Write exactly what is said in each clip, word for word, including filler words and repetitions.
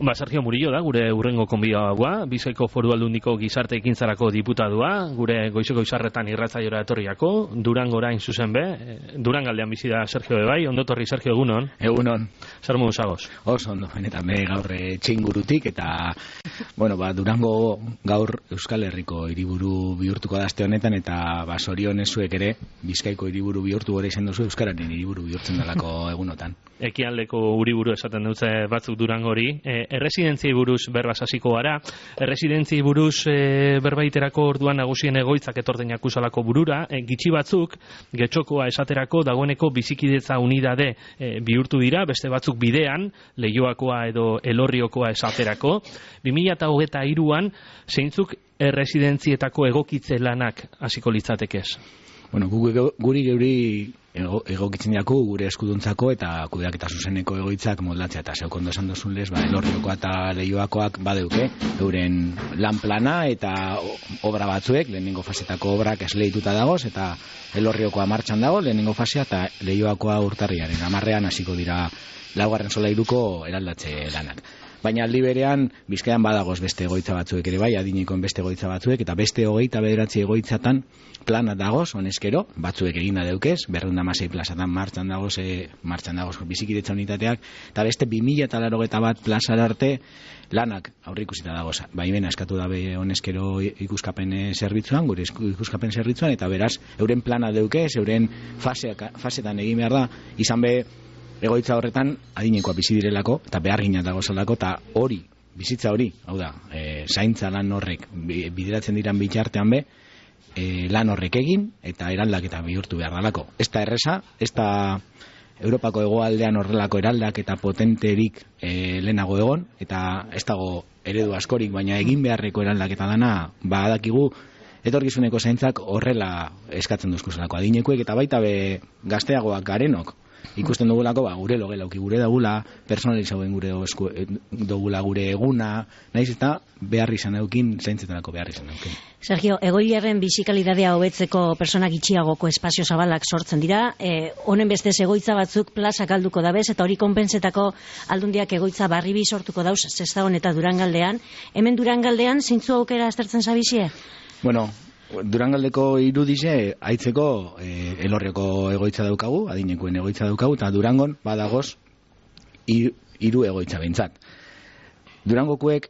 Ba, Sergio Murillo da, gure urrengo konbidagoa, Bizkaiko Foru Aldundiko gizarte ekintzarako diputadua, gure goizeko izarretan irratzaiora etorriako, Durango orain zuzen be, Durangaldean bizi da Sergio Bebai, ondo torri Sergio, egunon? Egunon. Zer modu zagoz? Oso ondo, benetan be gaur txingurutik, eta, bueno, ba, Durango gaur Euskal Herriko hiriburu bihurtuko da aste honetan, eta ba, sorion ezuek ere, Bizkaiko hiriburu bihurtu gore izan duzu, Euskararen hiriburu bihurtzen dalako egunotan. Ekialdeko uriburu esaten dutze batzuk Durango hori. E, erresidentziei buruz berbaz hasiko gara. Erresidentziei buruz e, berbaiterako orduan nagusien egoitzak etordenak usalako burura. E, gitxi batzuk, getxokoa esaterako dagoeneko bizikidetza unidade e, bihurtu dira, beste batzuk bidean, Leioakoa edo Elorriokoa esaterako. bi mila hogeita hiruan zeintzuk erresidentzietako egokitze lanak hasiko litzatekez? Bueno, gu, guri geuri ego, egokitzen jako gure eskuduntzako eta kudeaketa zuzeneko egoitzak moldatzea, eta zeuk ondo esan duzun lez, ba, Elorriokoa eta Leioakoak badeuke, euren lan plana eta obra batzuek, lehenengo fasetako obrak esleituta dagoz, eta Elorriokoa martxan dago, lehenengo fasea, eta Leioakoa urtarriaren amarrean hasiko dira laugarren solairuko eraldatze lanak. Baina aldi berean, Bizkaian badagoz beste egoitza batzuek ere bai, adinekoen beste egoitza batzuek, eta beste hogeita bederatzi egoitzatan plana dagoz, honezkero, batzuek egina deukez, berrehun eta hamasei plazatan martxan dagoz, e, martxan dagoz bizikidetza unitateak, eta beste bi mila laurogeita bat plazara arte lanak aurreikusita dagoz. Baimena eskatu dabe honezkero ikuskapen zerbitzuan, gure ikuskapen zerbitzuan, eta beraz, euren plana deukez, euren faseak, fasetan egin behar da, izan be, egoitza horretan adinekoa bizi direlako eta behargina dago zelako, eta hori, bizitza hori, hau da, e, zaintza lan horrek bideratzen diran bitartean be, e, lan horrek egin eta eraldaketa bihurtu behar dalako. Ez da erresa, ez da Europako hegoaldean horrelako eraldaketa potenterik e, lehenago egon, eta ez dago eredu askorik, baina egin beharreko eraldaketa dana, badakigu etorkizuneko zaintzak horrela eskatzen duzkuzelako adinekuek, eta baita be gazteagoak garenok, ikusten dugulako, ba, gure logelauki gure dagula, personalizauen gure dugula gure eguna, nahiz eta behar izan eukin, zaintzetanako behar izan eukin. Sergio, egoiliarren bizikalidadea hobetzeko persona gitxiagoko espazio zabalak sortzen dira, e, honen bestez egoitza batzuk plazak alduko dabez, eta hori konpensetako aldundiak egoitza barribi sortuko dauz, Sestaon eta Durangaldean. Hemen Durangaldean, zeintzu aukera aztertzen zabizie? Bueno, Durangaldeko irudize haitzeko e, Elorrioko egoitza daukagu, adinekoen egoitza daukagu, eta Durangon badagoz hiru egoitza behintzat. Durangokuek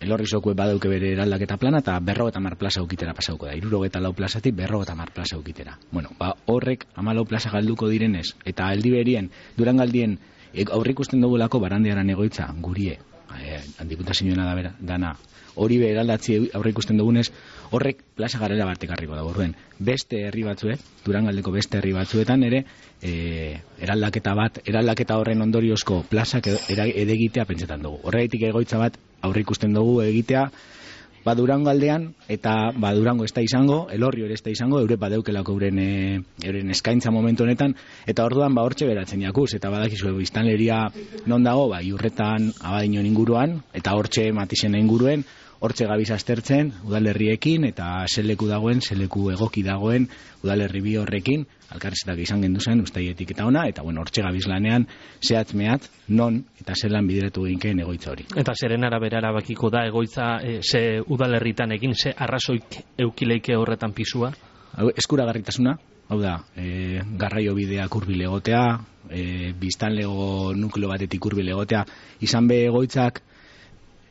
Elorrizokuek badauke bere eraldaketa plana, eta berrogeta mar plaza ukitera pasauko da. Hirurogeta lau plazatik berrogeta mar plaza ukitera. Bueno, ba, horrek hamalau plaza galduko direnez, eta aldi berien Durangaldien aurrikusten dugulako barandiaran egoitza gurie, e, diputazioena da bera, dana, hori be eraldatzi aurrikusten dugunez, horrek plaza garela bartekarriko da. Orduen, beste herri batzuek, Durangaldeko beste herri batzuetan ere, e, eraldaketa bat, eraldaketa horren ondoriozko plazak edegitea pentsetan dugu. Horregatik egoitza bat aurrikusten dugu egitea, ba Durangaldean, eta ba Durango ez da izango, Elorrio ere ez da izango, eure badeukelako euren, e, euren eskaintza momentu honetan, eta orduan ba hortxe beratzen jakuz, eta badakizu biztanleria non dago, ba Iurretan, Abadiñon inguruan, eta hortxe Matixena inguruen, hortxe gabiz aztertzen, udalerriekin, eta zeleku dagoen, zeleku egoki dagoen, udalerri bi horrekin, alkarrezetak izan gendu zen, ustaietik eta ona, eta bueno, hortxe gabiz lanean, zehatz mehat, non, eta zelan bideratu ginken egoitza hori. Eta zeren arabera erabakiko da egoitza, e, ze udalerritan egin, ze arrazoik eukileike horretan pisua? Eskuragarritasuna, hau da, e, garraio bideak hurbil egotea, e, biztanlego nukleo batetik hurbil egotea, izan be egoitzak,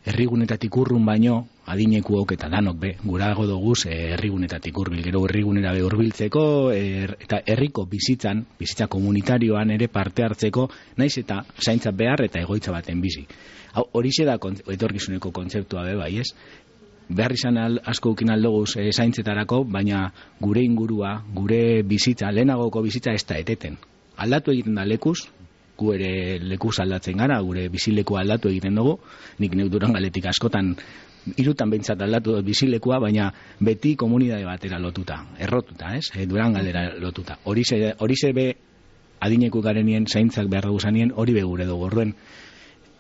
herrigunetatik urrun baino, adinekuok eta danok be, gurago doguz e, herrigunetatik hurbil, gero herrigunera be hurbiltzeko, er, eta herriko bizitzan, bizitza komunitarioan ere parte hartzeko, naiz eta zaintza behar eta egoitza baten bizi. Horixe da etorkizuneko kontzeptua be bai, ez? Behar izan al, asko ukin aldoguz e, zaintzetarako, baina gure ingurua, gure bizitza, lehenagoko bizitza ez da eteten. Aldatu egiten da lekuz, gu ere lekuz aldatzen gara, gure bizileku aldatu egiten dugu, nik neuk Durangaletik askotan hirutan behintzat aldatu dut bizilekua, baina beti komunidade batera lotuta, errotuta, ez? E, Durangaldera lotuta. Horixe be adineku garenien zaintzak behar dugu zanien, hori be gure dugu. Orduen,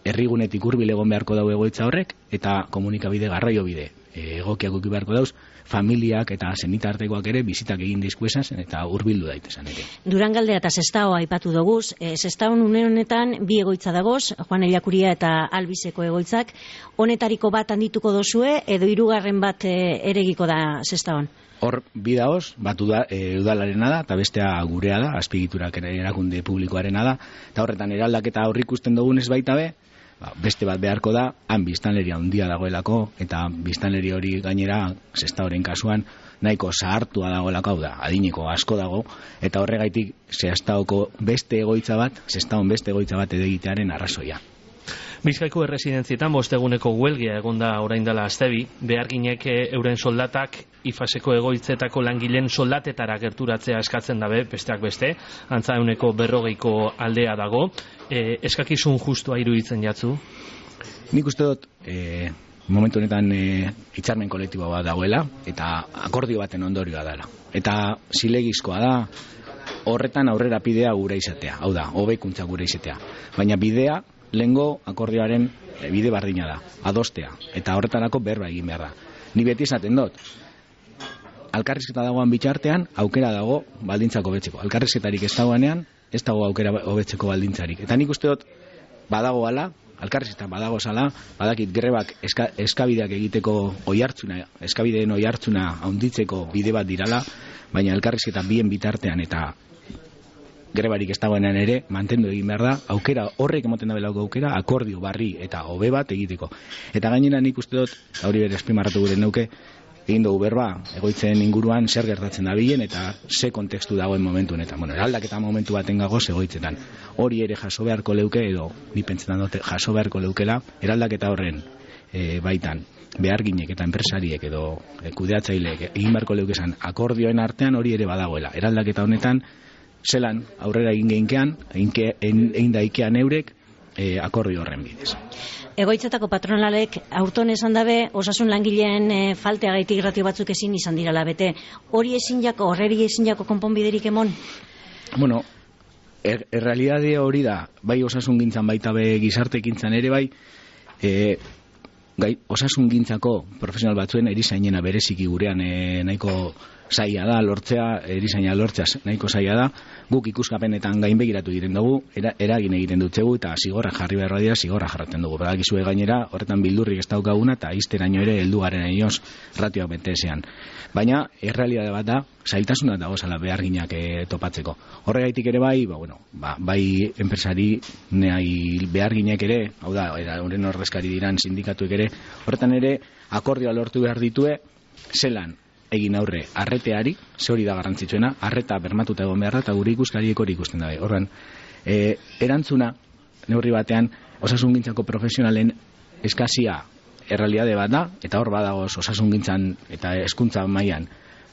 herrigunetik hurbil egon beharko dago egoitza horrek, eta komunikabide garraio bide. egokiak uki beharko dauz, familiak eta senitartekoak ere bizitak egin dizkuesan eta hurbildu daitezen ere. Durangaldea eta Sestao aipatu doguz, e, Sestaon une honetan bi egoitza dagoz, Juan Ellakuria eta Albizeko egoitzak, honetariko bat handituko dozue, edo hirugarren bat e, eregiko da Sestaon? Hor, bi daoz, bat uda, e, udalarena da, eta bestea gurea da, azpigiturak erakunde publikoarena da, eta horretan eraldaketa aurrik ikusten dugunez baita be, ba, beste bat beharko da, han biztanleria handia dagoelako, eta biztanleri hori gainera, Sestaoren kasuan, nahiko zahartua dagoelako, hau da, adineko asko dago, eta horregaitik Sestaoko beste egoitza bat, Sestaon beste egoitza bat edegitearen arrazoia. Bizkaiko erresidentzietan bosteguneko huelgia egonda orain dela astebi, beharginek euren soldatak ifaseko egoitzetako langileen soldatetara gerturatzea eskatzen dabe, besteak beste, antza euneko berrogeiko aldea dago, e, eskakizun justua iruditzen jatzu? Nik uste dut, e, momentu honetan e, hitzarmen kolektibo bat dagoela, eta akordio baten ondorioa dela. Eta zilegizkoa da, horretan aurrera bidea gure izatea, hau da, hobekuntza gure izatea. Baina bidea, lehengo akordioaren bide bardina da, adostea, eta horretarako berba egin behar da. Ni beti esaten dut, alkarrizketa dagoan bitxartean, aukera dago baldintzako hobetzeko. Alkarrizketarik ez dagoenean, ez dago aukera hobetzeko baldintzarik. Eta nik uste dut, badago ala, alkarrizketa badago zala, badakit grebak eska, eskabideak egiteko oihartzuna, eskabideen oihartzuna handitzeko bide bat dirala, baina alkarrizketa bien bitartean eta grebarik ez dagoenean ere, mantendu egin behar da, aukera, horrek emoten da belauko aukera, akordio barri eta hobe bat egiteko. Eta gainera nik uste dut, hori bere espimarratu gure neuke, egin dugu berba, egoitzen inguruan zer gertatzen da bilen eta ze kontekstu dagoen momentu honetan. Bueno, eraldaketa momentu baten gagoz egoitzetan. Hori ere jaso beharko leuke, edo ni pentsetan dute jaso beharko leukela, eraldaketa horren e, baitan, beharginek eta enpresariek edo e, kudeatzaileek egin beharko leukezan akordioen artean hori ere badagoela. Eraldaketa honetan, zelan aurrera egin geinkean, egin daikean eurek e, akordio horren bidez. Egoitzetako patronalek aurton esan dabe, osasun langileen e, falteagaitik ratio batzuk ezin izan dirala bete. Hori ezin jako, horreri ezin jako konponbiderik emon? Bueno, er, errealidade hori da, bai osasun gintzan baita be gizarte ekintzan ere bai, e, gai, osasun gintzako profesional batzuen erizainena bereziki gurean e, nahiko zaila da, lortzea, erizaina lortzea nahiko zaila da, guk ikuskapenetan gainbegiratu egiten dugu, era, eragin egiten dutzegu eta zigorra jarri behar dira, zigorra jarraten dugu. Badakizue gainera, horretan bildurrik ez daukaguna eta izteraino ere heldu garen ainoz ratioak betezean. Baina, errealidade bat da, zailtasuna dago zala beharginak e, topatzeko. Horregaitik ere bai, ba, bueno, ba, bai enpresari nahi beharginak ere, hau da, horren ordezkari diran sindikatuek ere, horretan ere akordioa lortu behar ditue, zelan, egin aurre arreteari, ze hori da garrantzitsuena, arreta bermatuta egon beharra eta gure ikuskariek hori ikusten dabe. Horren, e, erantzuna, neurri batean, osasungintzako profesionalen eskazia errealitate bat da, eta hor badagoz osasungintzan eta hezkuntza mailan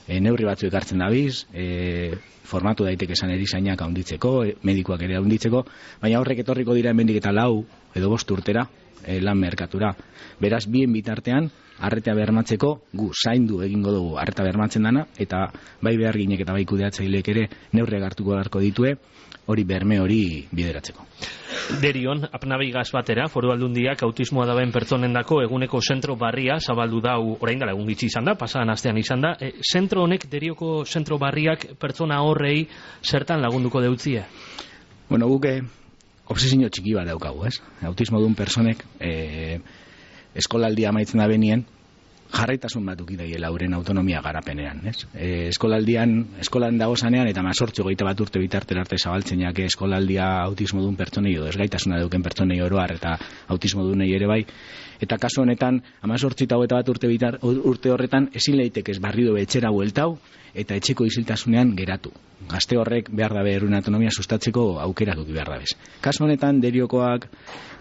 e, neurri batzu ekartzen dabiz, e, formatu daiteke esan erizainak handitzeko, e, medikuak ere handitzeko, baina horrek etorriko dira hemendik eta lau edo bost urtera, e, lan merkatura. Beraz, bien bitartean, arretea bermatzeko gu zaindu egingo dugu arreta bermatzen dana, eta bai beharginek eta bai kudeatzaileek ere neurriak hartuko beharko ditue, hori berme hori bideratzeko. Derion, apnabigaz batera, Foru Aldundiak autismoa daben pertsonendako eguneko zentro barria zabaldu dau, orain dela egun gitzi izan da, pasadan astean izan da, e, zentro honek, Derioko zentro barriak pertsona horrei zertan lagunduko deutzie? Bueno, guke obsesio txiki bat daukagu, ez? Autismo duen personek, e, eskolaldia amaitzen da benien, jarraitasun bat ukidaiela euren autonomia garapenean, ez? E, eskolaldian, eskolan dago zanean, eta mazortzi goita bat urte bitartera arte zabaltzen jake eskolaldia autismo duen pertsonei, edo ezgaitasuna duken pertsonei oroar, eta autismo dunei ere bai, eta kasu honetan, amazortzi eta hogeita bat urte, bitar, urte horretan, ezin leitek ez barrido etxera bueltau, eta etxeko isiltasunean geratu. Gazte horrek behar dabe eruen autonomia sustatzeko aukera duki behar dabez. Kasu honetan, Deriokoak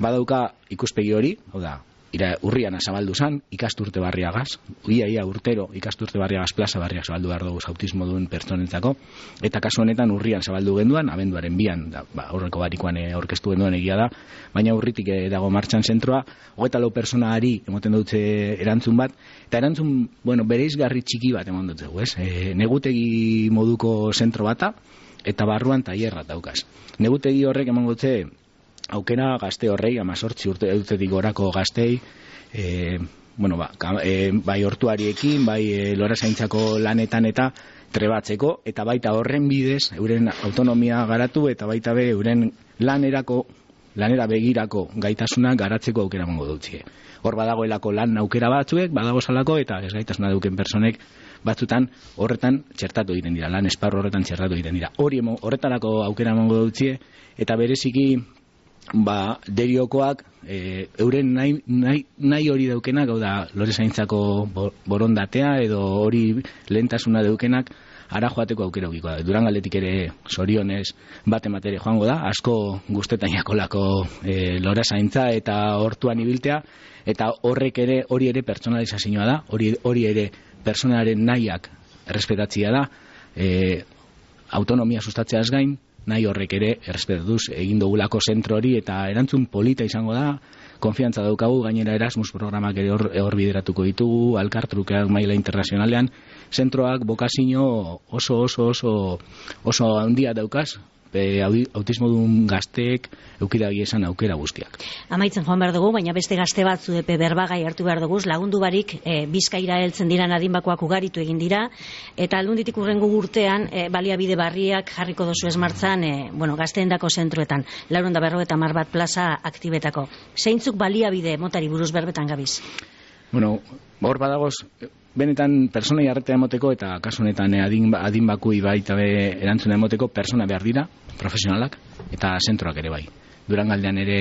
badauka ikuspegi hori, hau da, ira urrian zabaldu zan, ikasturte barriagaz, ia ia urtero ikasturte barriagaz plaza barriak zabaldu behar dugu autismo duen pertsonentzako, eta kasu honetan urrian zabaldu genduan, abenduaren bian, da, ba, horreko barikoan aurkeztu genduan egia da, baina urritik dago martxan zentroa, hogeita lau personari emoten dutze erantzun bat, eta erantzun, bueno, bereizgarri txiki bat emon dutze, ez? E, negutegi moduko zentro bata, eta barruan tailerra daukaz. Negutegi horrek emon dutze aukera gazte horrei, amazortzi urte urtetik gorako gaztei, e, bueno, ba, e, bai hortuariekin, bai e, lorazaintzako lanetan eta trebatzeko, eta baita horren bidez, euren autonomia garatu, eta baita be, euren lanerako, lanera begirako gaitasuna garatzeko aukera emango dutzie. Hor badagoelako lan aukera batzuek, badago salako, eta ez gaitasuna duken personek batzutan horretan txertatu egiten dira, lan esparru horretan txertatu egiten dira. Hori horretarako aukera emango dutzie, eta bereziki, ba, deriokoak, e, euren nahi, nahi, nahi hori daukenak, hau da, lorezaintzako borondatea, edo hori lehentasuna daukenak, ara joateko aukera ukiko da. Durangaldetik ere zorionez bat ematere joango da, asko gustetan jakolako e, lorezaintza eta hortuan ibiltea, eta horrek ere, hori ere pertsonalizazioa da, hori, hori ere personaren nahiak errespetatzia da, e, autonomia sustatzeaz gain, nahi horrek ere errespetatuz egin dugulako zentro hori, eta erantzun polita izango da, konfiantza daukagu, gainera Erasmus programak ere hor, hor bideratuko ditugu, alkartrukeak maila internazionalean, zentroak bokazio oso oso oso oso handia daukaz, e, autismodun gazteek eukidagi esan aukera guztiak. Amaitzen joan behar dugu, baina beste gazte batzu epe berbagai hartu behar dugu, lagundu barik e, Bizkaira heltzen dira adinbakoak ugaritu egin dira, eta aldunditik urrengo urtean e, baliabide barriak jarriko dozu esmartzan, e, bueno, gazteendako zentroetan, laurehun eta berrogeita hamar bat plaza aktibetako. Zeintzuk baliabide motari buruz berbetan gabiz? Bueno, hor badagoz, benetan personai arretea emoteko, eta kasu honetan adin, adinbakui baita be erantzuna emoteko, persona behar dira, profesionalak, eta zentroak ere bai. Durangaldean ere,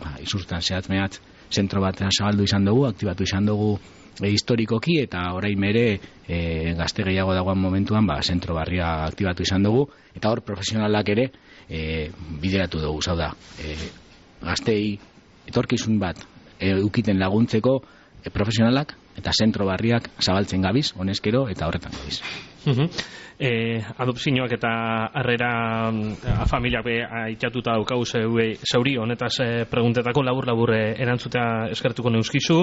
ba, izurtan zehatz mehatz, zentro bat zabaldu izan dugu, aktibatu izan dugu e, historikoki, eta orain mere e, gazte gehiago dagoan momentuan, ba, zentro barria aktibatu izan dugu, eta hor profesionalak ere e, bideratu dugu, zau da, e, gaztei etorkizun bat e, ukiten laguntzeko e, profesionalak, eta zentro barriak zabaltzen gabiz, honezkero, eta horretan gabiz. Uh-huh. eh, adopzioak eta harrera a familiak be aitatuta daukagu zauri honetaz eh, preguntetako labur-labur eh, erantzutea eskertuko neuskizu.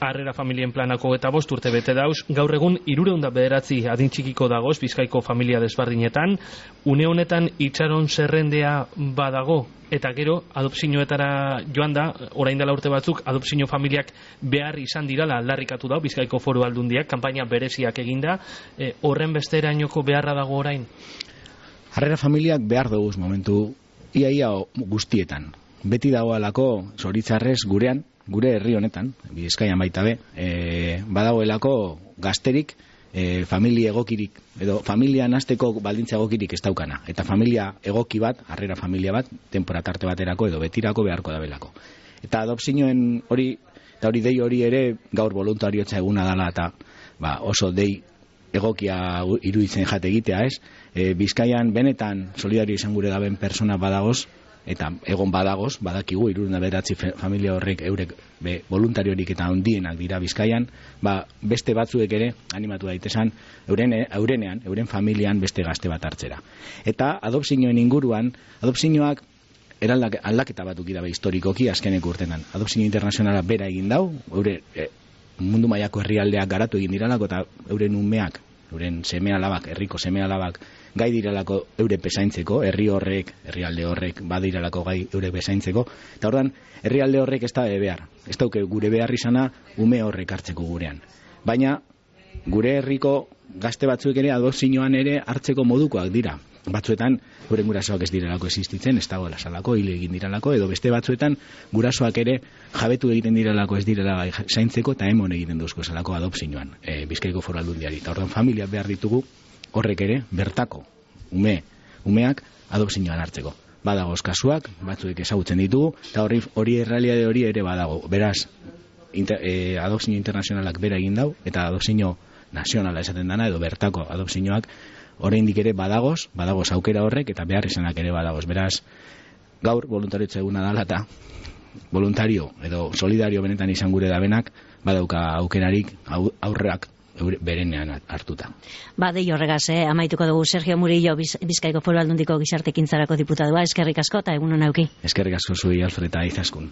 Harrera familien planako eta bost urte bete dauz, gaur egun hirurehun eta bederatzi adin txikiko dagoz Bizkaiko familia desberdinetan, une honetan itxaron zerrendea badago, eta gero adopzioetara joan da, orain dela urte batzuk, adopzio familiak behar izan dirala aldarrikatu da Bizkaiko Foru Aldundiak, kanpaina bereziak eginda, e, horren besterainoko beharra dago orain? Harrera familiak behar dugu momentu iaia guztietan. Beti dagoelako zoritzarrez gurean, gure herri honetan, Bizkaian baita be, e, badagoelako gazterik, e, familia egokirik, edo familia nasteko baldintza egokirik ez daukana. Eta familia egoki bat, harrera familia bat, tempora tarte baterako edo betirako beharko dabelako. Eta adopzioen hori, eta hori dei hori ere gaur voluntariotza eguna dela, eta ba, oso dei egokia iruditzen jate egitea, ez? E, Bizkaian benetan solidario izan gure daben persona badagoz, eta egon badagoz, badakigu, hirurehun eta bederatzi familia horrek eurek be, voluntariorik eta handienak dira Bizkaian, ba, beste batzuek ere animatu daitesan euren, eurenean, euren familian beste gazte bat hartzera. Eta adopzioen inguruan, adopzioak aldaketa batuk dira historikoki azkeneko urtenan. Adopzio internazionala bera egin dau, eure e, mundu mailako herrialdeak garatu egin diralako, eta euren umeak, euren seme alabak, herriko seme alabak gai diralako eure bezaintzeko, herri horrek, herrialde horrek badiralako gai eure bezaintzeko, eta ordan herrialde horrek ez da behar, ez dauke gure behar izana ume horrek hartzeko gurean. Baina gure herriko gazte batzuek ere adopzioan ere hartzeko modukoak dira. Batzuetan gure gurasoak ez direlako existitzen, ez dagoela salako, hile egin direlako, edo beste batzuetan gurasoak ere jabetu egiten direlako ez direla zaintzeko, eta emon egiten duzko salako adopzioan, e, Bizkaiko Foru Aldundiari. Eta ordan familia behar ditugu horrek ere bertako ume, umeak adopzioan hartzeko. Badagoz kasuak, batzuek ezagutzen ditugu, eta hori, hori errealitate hori ere badago. Beraz, inter, e, adopzio internazionalak bera egin dau, eta adopzio nazionala esaten dana, edo bertako adopzioak oraindik ere badagoz, badagoz aukera horrek, eta behar izanak ere badagoz. Beraz, gaur voluntariotza eguna dala, eta voluntario edo solidario benetan izan gure dabenak, badauka aukerarik aurreak berenean hartuta. Ba, dei horregaz, eh? Amaituko dugu Sergio Murillo, Bizkaiko Foru Aldundiko gizartekintzarako diputadua, eskerrik asko eta egun hona euki. Eskerrik asko zui, Alfred, eta izaskun.